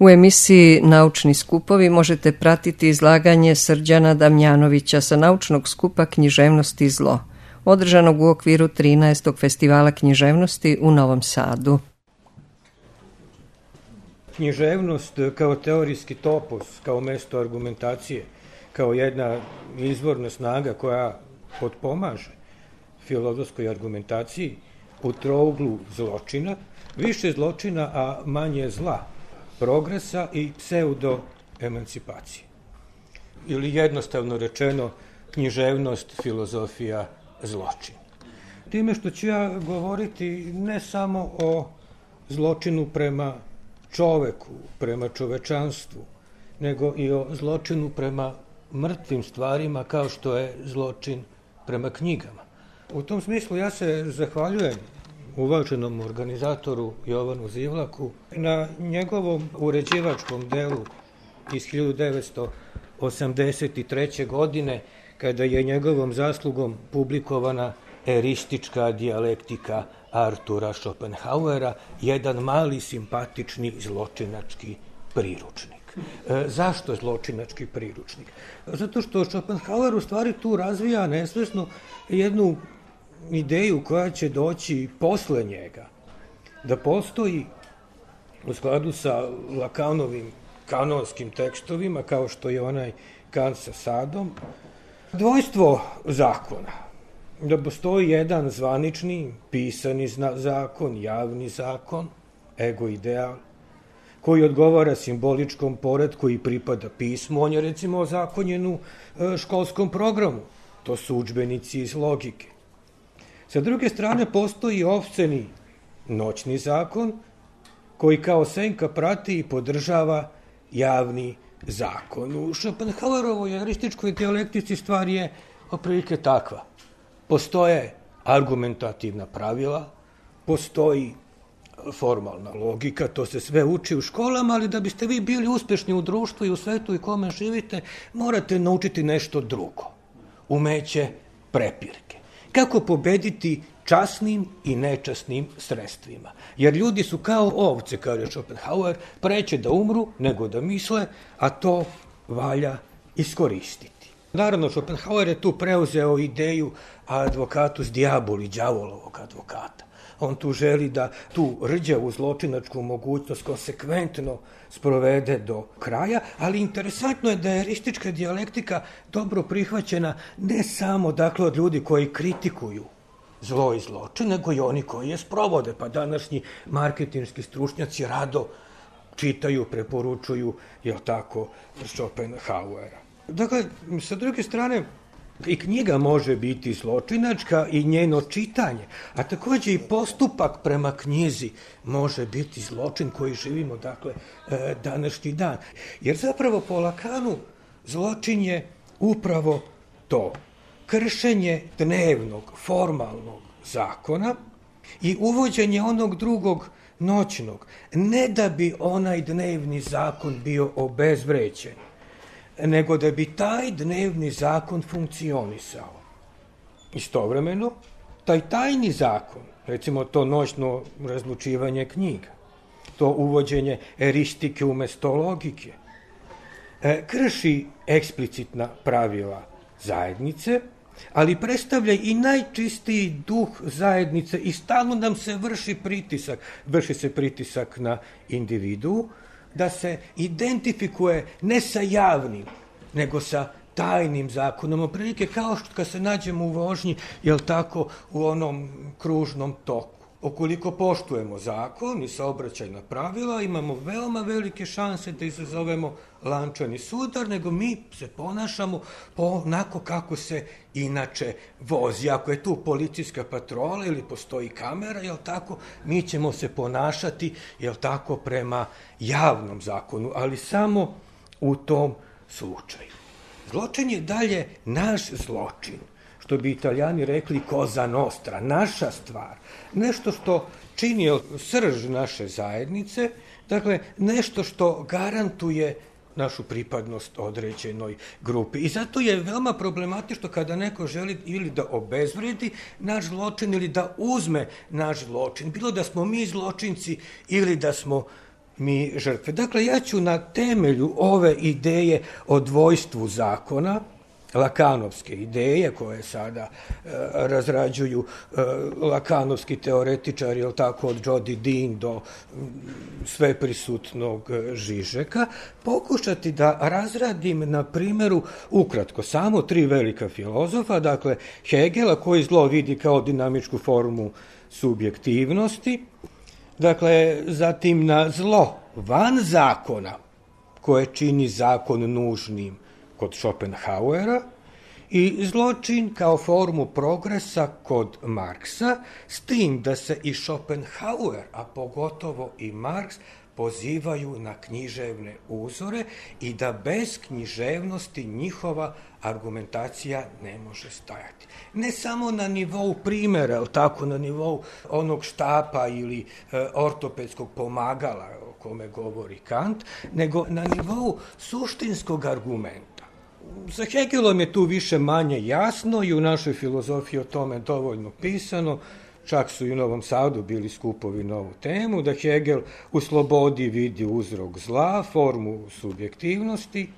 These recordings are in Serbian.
U emisiji Naučni skupovi možete pratiti izlaganje Srđana Damjanovića sa naučnog skupa Književnost i zlo, održanog u okviru 13. festivala književnosti u Novom Sadu. Književnost kao teorijski topos, kao mesto argumentacije, kao jedna izvorna snaga koja potpomaže filozofskoj argumentaciji u trouglu zločina, više zločina, a manje zla, progresa i pseudo-emancipacije. Ili jednostavno rečeno, književnost, filozofija, zločin. Time što ću ja govoriti ne samo o zločinu prema čoveku, prema čovečanstvu, nego i o zločinu prema mrtvim stvarima kao što je zločin prema knjigama. U tom smislu ja se zahvaljujem uvaženom organizatoru Jovanu Zivlaku na njegovom uređivačkom delu iz 1983. godine, kada je njegovom zaslugom publikovana Eristička dijalektika Artura Schopenhauera, jedan mali simpatični zločinački priručnik. Zašto zločinački priručnik? Zato što Schopenhauer u stvari tu razvija nesvesno jednu ideju koja će doći posle njega, da postoji u skladu sa Lakanovim kanonskim tekstovima, kao što je onaj Kant sa Sadom, dvojstvo zakona. Da postoji jedan zvanični, pisani zakon, javni zakon, ego ideal, koji odgovara simboličkom poretku i pripada pismu. On je recimo ozakonjen u školskom programu. To su udžbenici iz logike. Sa druge strane postoji opsceni noćni zakon, koji kao senka prati i podržava javni zakon. U Schopenhauerovoj erističkoj dijalektici stvar je otprilike takva. Postoje argumentativna pravila, postoji formalna logika, to se sve uči u školama, ali da biste vi bili uspešni u društvu i u svetu i kome živite, morate naučiti nešto drugo. Umeće prepirke. Kako pobediti časnim i nečasnim sredstvima. Jer ljudi su kao ovce, kaže Schopenhauer, preće da umru nego da misle, a to valja iskoristiti. Naravno, Schopenhauer je tu preuzeo ideju advocatus diaboli, đavolovog advokata. On tu želi da tu rđavu zločinačku mogućnost konsekventno sprovede do kraja, ali interesantno je da je eristička dijalektika dobro prihvaćena ne samo dakle od ljudi koji kritikuju zlo i zločin, nego i oni koji je sprovode. Pa današnji marketinški stručnjaci rado čitaju, preporučuju, jel tako, Schopenhauera. Dakle, sa druge strane, i knjiga može biti zločinačka i njeno čitanje, a takođe i postupak prema knjizi može biti zločin koji živimo, dakle, današnji dan. Jer zapravo po Lakanu zločin je upravo to, kršenje dnevnog, formalnog zakona i uvođenje onog drugog noćnog, ne da bi onaj dnevni zakon bio obezvređen, nego da bi taj dnevni zakon funkcionisao. Istovremeno, taj tajni zakon, recimo to noćno razlučivanje knjiga, to uvođenje eristike umesto logike, krši eksplicitna pravila zajednice, ali predstavlja i najčistiji duh zajednice i stalno nam se vrši se pritisak na individu, da se identifikuje ne sa javnim, nego sa tajnim zakonom. Otprilike kao što kad se nađemo u vožnji, jel tako, u onom kružnom toku. Ukoliko poštujemo zakon i saobraćajna pravila, imamo veoma velike šanse da izazovemo lančani sudar, nego mi se ponašamo onako kako se inače vozi. Ako je tu policijska patrola ili postoji kamera, jel tako, mi ćemo se ponašati, jel tako, prema javnom zakonu, ali samo u tom slučaju. Zločin je dalje naš zločin, što bi Italijani rekli cosa nostra, naša stvar, nešto što čini srž naše zajednice, dakle nešto što garantuje našu pripadnost određenoj grupi. I zato je veoma problematično kada neko želi ili da obezvredi naš zločin ili da uzme naš zločin. Bilo da smo mi zločinci ili da smo mi žrtve. Dakle, ja ću na temelju ove ideje o dvojstvu zakona, lakanovske ideje koje sada razrađuju lakanovski teoretičari, jel tako, od Jody Dean do sveprisutnog Žižeka, pokušati da razradim na primjeru ukratko samo 3 velika filozofa, dakle Hegela koji zlo vidi kao dinamičku formu subjektivnosti, dakle zatim na zlo van zakona koje čini zakon nužnim kod Schopenhauera i zločin kao formu progresa kod Marksa, s tim da se i Schopenhauer, a pogotovo i Marks, pozivaju na književne uzore i da bez književnosti njihova argumentacija ne može stajati. Ne samo na nivou primjera, ali tako na nivou onog štapa ili ortopedskog pomagala o kome govori Kant, nego na nivou suštinskog argumenta. Sa Hegelom je tu više manje jasno i u našoj filozofiji o tome dovoljno pisano, čak su i u Novom Sadu bili skupovi na ovu temu, da Hegel u slobodi vidi uzrok zla, formu subjektivnosti,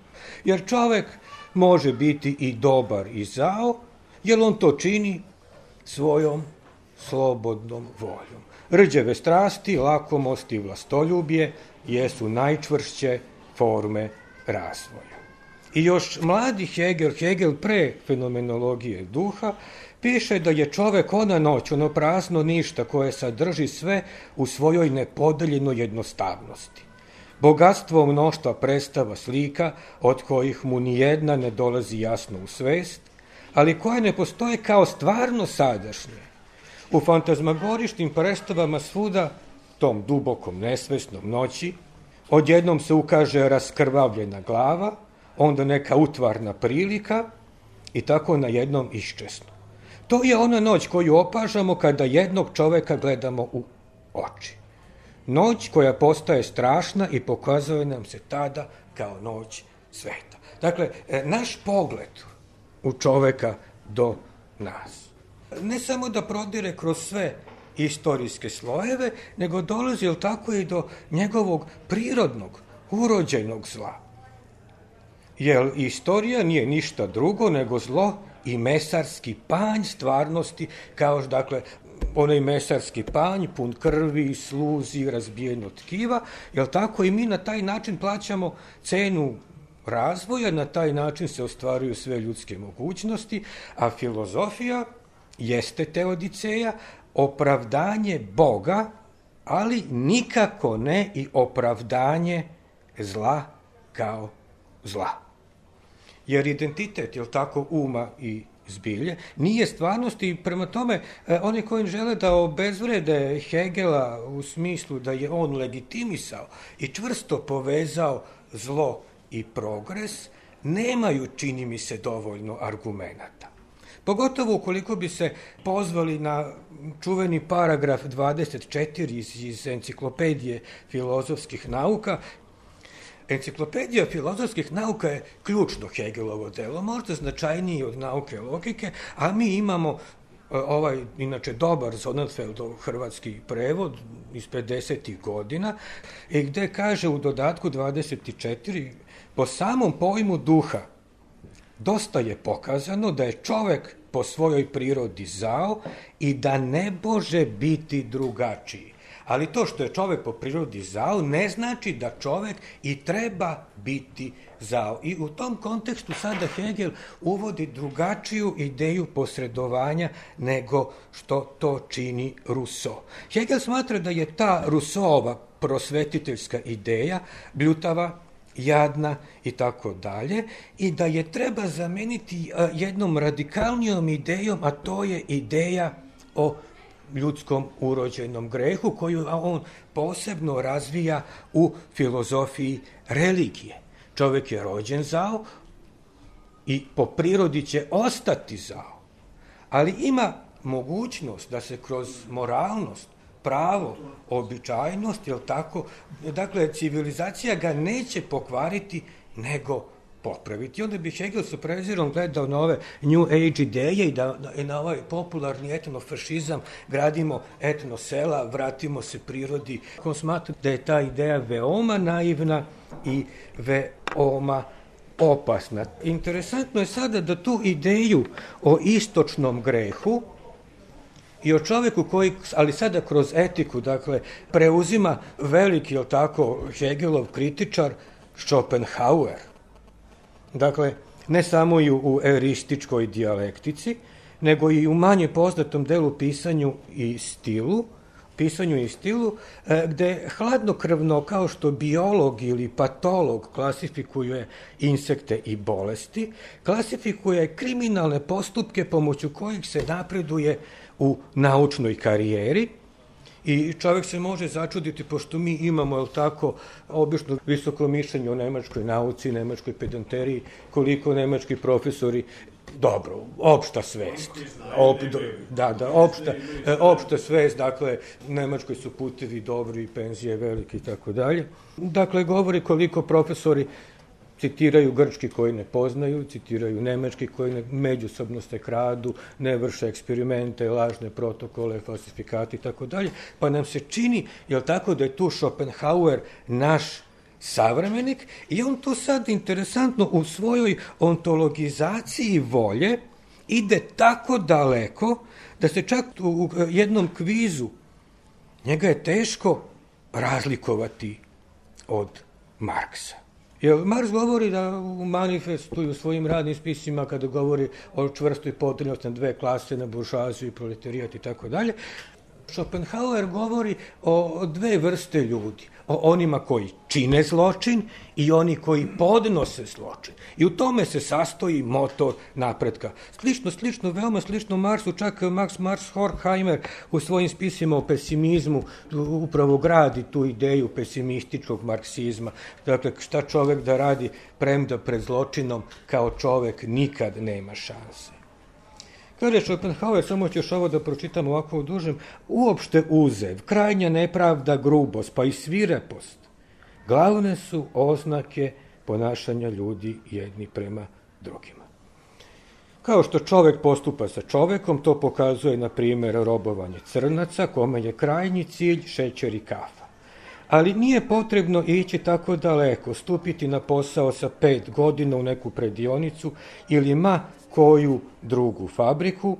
jer čovek može biti i dobar i zao, jer on to čini svojom slobodnom voljom. Rđeve strasti, lakomost i vlastoljublje jesu najčvršće forme razvoja. I još mladi Hegel pre fenomenologije duha, piše da je čovek ona noć, ono prazno ništa koje sadrži sve u svojoj nepodeljenoj jednostavnosti. Bogatstvo mnoštva predstava slika od kojih mu nijedna ne dolazi jasno u svest, ali koje ne postoje kao stvarno sadašnje. U fantazmagoričnim predstavama svuda, tom dubokom nesvesnom noći, odjednom se ukaže raskrvavljena glava, onda neka utvarna prilika i tako na jednom iščesno. To je ona noć koju opažamo kada jednog čoveka gledamo u oči. Noć koja postaje strašna i pokazuje nam se tada kao noć sveta. Dakle, naš pogled u čoveka do nas. Ne samo da prodire kroz sve istorijske slojeve, nego dolazi tako i do njegovog prirodnog, urođenog zla. Jer istorija nije ništa drugo nego zlo i mesarski panj stvarnosti, kao dakle onaj mesarski panj pun krvi, sluzi, razbijeno tkiva, jel tako i mi na taj način plaćamo cenu razvoja, na taj način se ostvaruju sve ljudske mogućnosti, a filozofija jeste teodiceja, opravdanje Boga, ali nikako ne i opravdanje zla kao zla. Jer identitet, jel tako, uma i zbilje, nije stvarnost i prema tome oni koji žele da obezvrede Hegela u smislu da je on legitimisao i čvrsto povezao zlo i progres, nemaju, čini mi se, dovoljno argumenata. Pogotovo ukoliko bi se pozvali na čuveni paragraf 24 iz enciklopedije filozofskih nauka. Enciklopedija filozofskih nauka je ključno Hegelovo delo, možda značajniji od nauke logike, a mi imamo inače dobar Sonnenfeldov hrvatski prevod iz 50. godina, gde kaže u dodatku 24, po samom pojmu duha, dosta je pokazano da je čovek po svojoj prirodi zao i da ne može biti drugačiji. Ali to što je čovek po prirodi zao ne znači da čovek i treba biti zao. I u tom kontekstu sada Hegel uvodi drugačiju ideju posredovanja nego što to čini Rousseau. Hegel smatra da je ta Rousseauova prosvetiteljska ideja bljutava, jadna i tako dalje, i da je treba zameniti jednom radikalnijom idejom, a to je ideja o ljudskom urođenom grehu, koju on posebno razvija u filozofiji religije. Čovjek je rođen zao i po prirodi će ostati zao, ali ima mogućnost da se kroz moralnost, pravo, običajnost, jel tako, dakle, civilizacija ga neće pokvariti, nego popraviti. Onda bi Hegel sa prezirom gledao na ove New Age ideje i da na ovaj popularni etnofašizam gradimo etnosela, vratimo se prirodi. On smatra da je ta ideja veoma naivna i veoma opasna. Interesantno je sada da tu ideju o istočnom grehu i o čoveku koji, ali sada kroz etiku, dakle, preuzima veliki, jel tako, Hegelov kritičar Schopenhauer. Dakle, ne samo i u eurističkoj dijalektici, nego i u manje poznatom delu pisanju i stilu, gde hladnokrvno, kao što biolog ili patolog klasifikuje insekte i bolesti, klasifikuje kriminalne postupke pomoću kojih se napreduje u naučnoj karijeri. I čovjek se može začuditi, pošto mi imamo, jel tako, obično visoko mišljenje o nemačkoj nauci, nemačkoj pedanteriji, koliko nemački profesori, dobro, opšta svest. Opšta svest, dakle, Nemačkoj su putevi dobri, penzije velike i tako dalje. Dakle, govori koliko profesori citiraju grčki koji ne poznaju, citiraju nemački koji međusobno se kradu, ne vrše eksperimente, lažne protokole, falsifikati i tako dalje, pa nam se čini, jel tako, da je tu Schopenhauer naš savremenik i on tu sad interesantno u svojoj ontologizaciji volje ide tako daleko da se čak u jednom kvizu njega je teško razlikovati od Marksa. Jer Marks govori da u manifestu i u svojim radnim spisima, kada govori o čvrstoj podređenosti na dve klase, na buržoaziju i proletarijat i tako dalje, Schopenhauer govori o dve vrste ljudi, o onima koji čine zločin i oni koji podnose zločin. I u tome se sastoji motor napretka. Slično, veoma slično Marksu, čak Max Horkheimer u svojim spisima o pesimizmu upravo gradi tu ideju pesimističkog marksizma. Dakle, šta čovek da radi premda pred zločinom, kao čovek nikad nema šanse. Kaže Schopenhauer, samo ću još ovo da pročitam ovako u dužem, uopšte uzev, krajnja nepravda, grubost, pa i svirepost, glavne su oznake ponašanja ljudi jedni prema drugima. Kao što čovek postupa sa čovekom, to pokazuje, na primjer, robovanje crnaca, kome je krajnji cilj šećer i kafa. Ali nije potrebno ići tako daleko, stupiti na posao sa 5 godina u neku predionicu ili koju drugu fabriku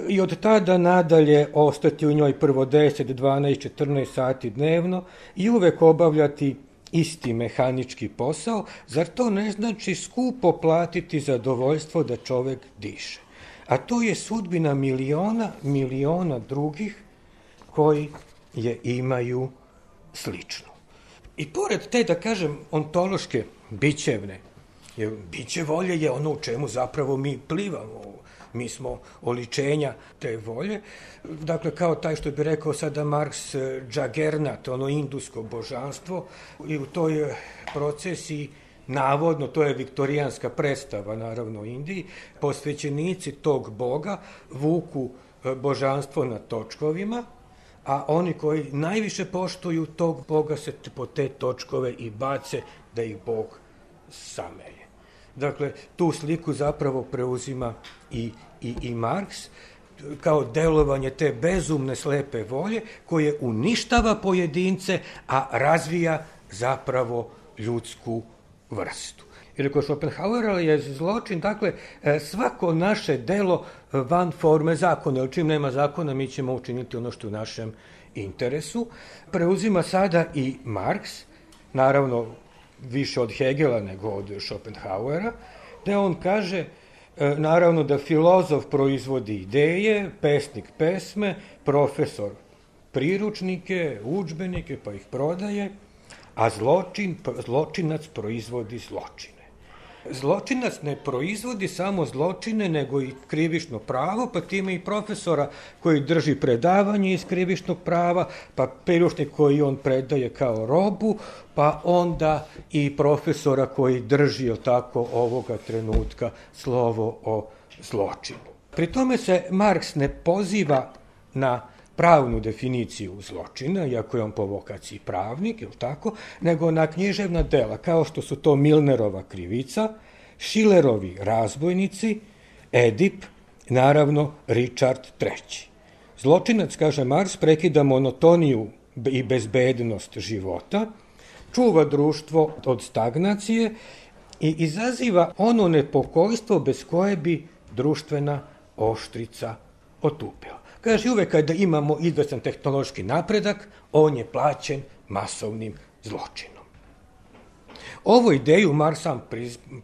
i od tada nadalje ostati u njoj prvo 10, 12, 14 sati dnevno i uvek obavljati isti mehanički posao, zar to ne znači skupo platiti zadovoljstvo da čovek diše? A to je sudbina miliona drugih koji je imaju slično. I pored te, da kažem, ontološke, bićevne, jer biće volje je ono u čemu zapravo mi plivamo, mi smo oličenja te volje. Dakle, kao taj što bi rekao sada Marks, džagernat, ono indusko božanstvo, i u toj procesiji, navodno, to je viktorijanska predstava, naravno, u Indiji, posvećenici tog boga vuku božanstvo na točkovima, a oni koji najviše poštuju tog boga se po te točkove i bace da ih bog samelje. Dakle, tu sliku zapravo preuzima i Marks kao delovanje te bezumne slepe volje koje uništava pojedince, a razvija zapravo ljudsku vrstu. Jer kod Schopenhauera je zločin, dakle, svako naše delo van forme zakona, jer čim nema zakona mi ćemo učiniti ono što je u našem interesu. Preuzima sada i Marks, naravno više od Hegela nego od Schopenhauera, gde on kaže, naravno, da filozof proizvodi ideje, pesnik pesme, profesor priručnike, udžbenike, pa ih prodaje, a zločinac proizvodi zločine. Zločinac ne proizvodi samo zločine, nego i krivično pravo, pa time i profesora koji drži predavanje iz krivičnog prava, pa priručnik koji on predaje kao robu, pa onda i profesora koji drži tako ovoga trenutka slovo o zločinu. Pri tome se Marks ne poziva na pravnu definiciju zločina, iako je on po vokaciji pravnik, nego na književna dela, kao što su to Milnerova krivica, Šilerovi razbojnici, Edip, naravno Richard III. Zločinac, kaže Mars, prekida monotoniju i bezbednost života, čuva društvo od stagnacije i izaziva ono nepokojstvo bez koje bi društvena oštrica otupila. Kaže, uvek kada imamo izvestan tehnološki napredak, on je plaćen masovnim zločinom. Ovu ideju Mars sam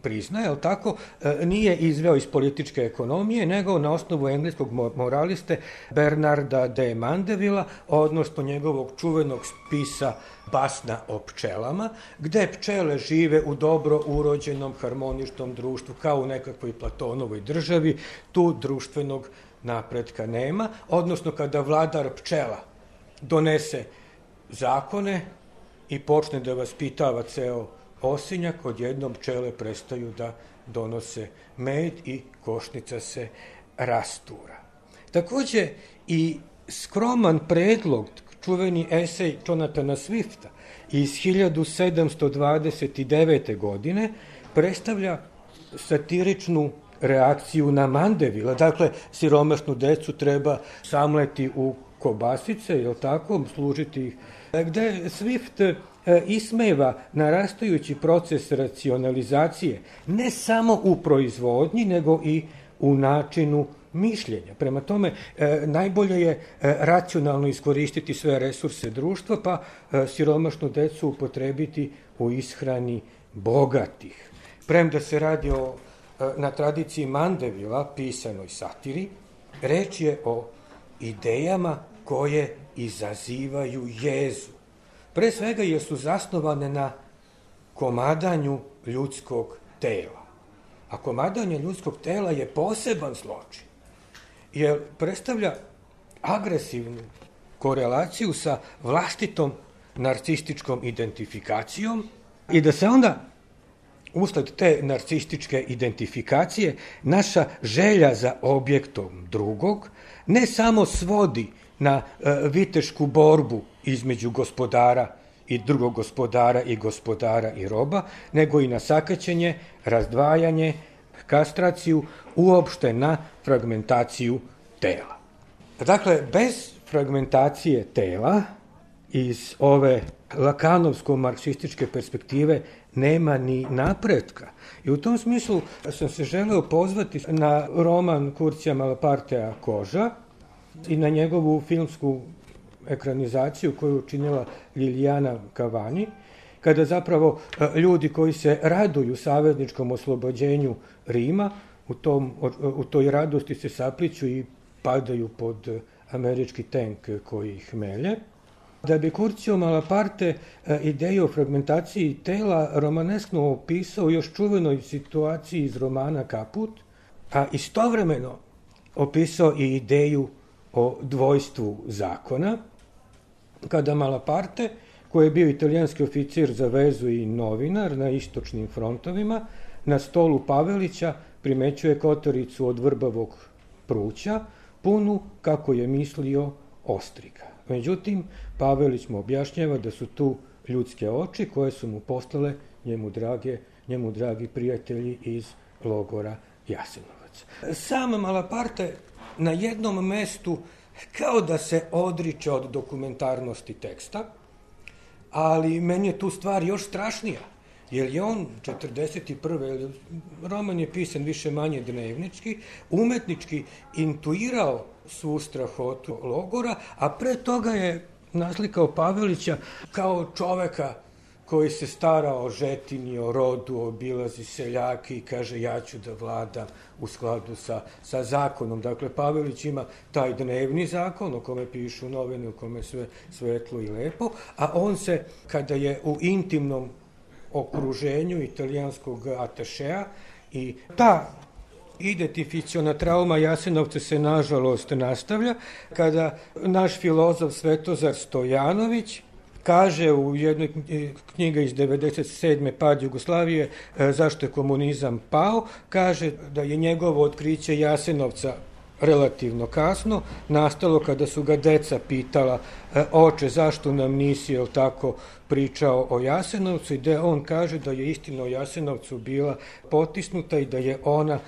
priznaje, ali tako, nije izveo iz političke ekonomije, nego na osnovu engleskog moraliste Bernarda de Mandevilla, odnosno njegovog čuvenog spisa Basna o pčelama, gde pčele žive u dobro urođenom harmoničnom društvu, kao u nekakvoj Platonovoj državi, tu društvenog napretka nema, odnosno kada vladar pčela donese zakone i počne da vaspitava ceo osinjak, odjednom pčele prestaju da donose med i košnica se rastura. Takođe i skroman predlog, čuveni esej Jonathana Swifta iz 1729. godine predstavlja satiričnu reakciju na Mandevilla. Dakle, siromašnu decu treba samleti u kobasice, je li tako, služiti ih. Gde Swift ismeva narastajući proces racionalizacije ne samo u proizvodnji, nego i u načinu mišljenja. Prema tome, najbolje je racionalno iskoristiti sve resurse društva, pa siromašnu decu upotrebiti u ishrani bogatih. Premda se radi na tradiciji Mandevilla, pisanoj satiri, reč je o idejama koje izazivaju jezu. Pre svega jer su zasnovane na komadanju ljudskog tela. A komadanje ljudskog tela je poseban zločin, jer predstavlja agresivnu korelaciju sa vlastitom narcističkom identifikacijom i da se onda usled te narcističke identifikacije naša želja za objektom drugog ne samo svodi na vitešku borbu između gospodara i drugog gospodara i gospodara i roba, nego i na sakaćenje, razdvajanje, kastraciju, uopšte na fragmentaciju tela. Dakle, bez fragmentacije tela iz ove lakanovsko-marksističke perspektive nema ni napretka. I u tom smislu sam se želeo pozvati na roman Kurcija Malapartea Koža i na njegovu filmsku ekranizaciju koju je učinila Lilijana Cavani, kada zapravo ljudi koji se raduju savezničkom oslobođenju Rima, u toj radosti se sapliću i padaju pod američki tank koji ih melje. Da bi Curcio Malaparte ideju o fragmentaciji tela romaneskno opisao još čuvenoj situaciji iz romana Kaput, a istovremeno opisao i ideju o dvojstvu zakona, kada Malaparte, koji je bio italijanski oficir za vezu i novinar na istočnim frontovima, na stolu Pavelića primećuje kotoricu od vrbavog pruća, punu, kako je mislio, ostrika. Međutim, Pavelić mu objašnjava da su tu ljudske oči koje su mu poslale njemu dragi prijatelji iz logora Jasenovac. Sam Malaparte na jednom mestu kao da se odriče od dokumentarnosti teksta, ali meni je tu stvar još strašnija, jer je on 41. roman je pisan više manje dnevnički, umetnički intuirao svu strahotu logora, a pre toga je naslikao Pavelića kao čoveka koji se stara o žetini, o rodu, obilazi seljake i kaže ja ću da vladam u skladu sa zakonom. Dakle, Pavelić ima taj dnevni zakon o kome pišu novine, u kome sve svetlo i lepo, a on se, kada je u intimnom okruženju italijanskog atašea i ta identifikaciona trauma Jasenovca se nažalost nastavlja, kada naš filozof Svetozar Stojanović kaže u jednoj knjiga iz 97. Pad Jugoslavije, zašto je komunizam pao, kaže da je njegovo otkriće Jasenovca relativno kasno, nastalo kada su ga deca pitala oče, zašto nam nisi, jel tako, pričao o Jasenovcu, i gde on kaže da je istina o Jasenovcu bila potisnuta i da je ona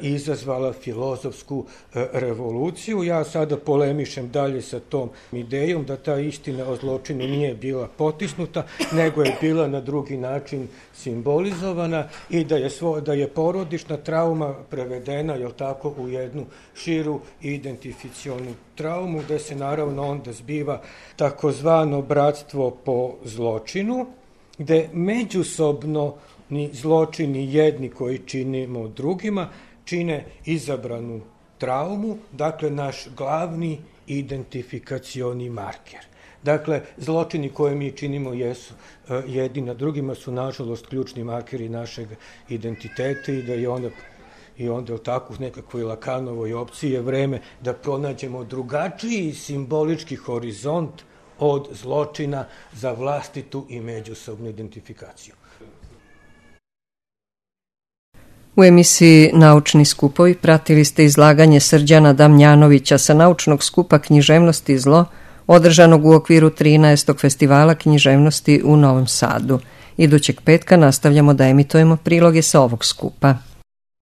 izazvala filozofsku revoluciju. Ja sada polemišem dalje sa tom idejom da ta istina o zločinu nije bila potisnuta, nego je bila na drugi način simbolizovana i da je porodična trauma prevedena, jel tako, u jednu širu identifikacionu traumu, gde se naravno onda zbiva takozvano bratstvo po zločinu, gde međusobno ni zločini jedni koji činimo drugima čine izabranu traumu, dakle naš glavni identifikacioni marker. Dakle, zločini koje mi činimo jesu jedni na drugima su nažalost ključni markeri našeg identiteta i da je onda u takvu nekakvoj Lakanovoj opciji je vreme da pronađemo drugačiji simbolički horizont od zločina za vlastitu i međusobnu identifikaciju. U emisiji Naučni skupovi pratili ste izlaganje Srđana Damjanovića sa naučnog skupa Književnost i zlo, održanog u okviru 13. festivala književnosti u Novom Sadu. Idućeg petka nastavljamo da emitujemo priloge sa ovog skupa.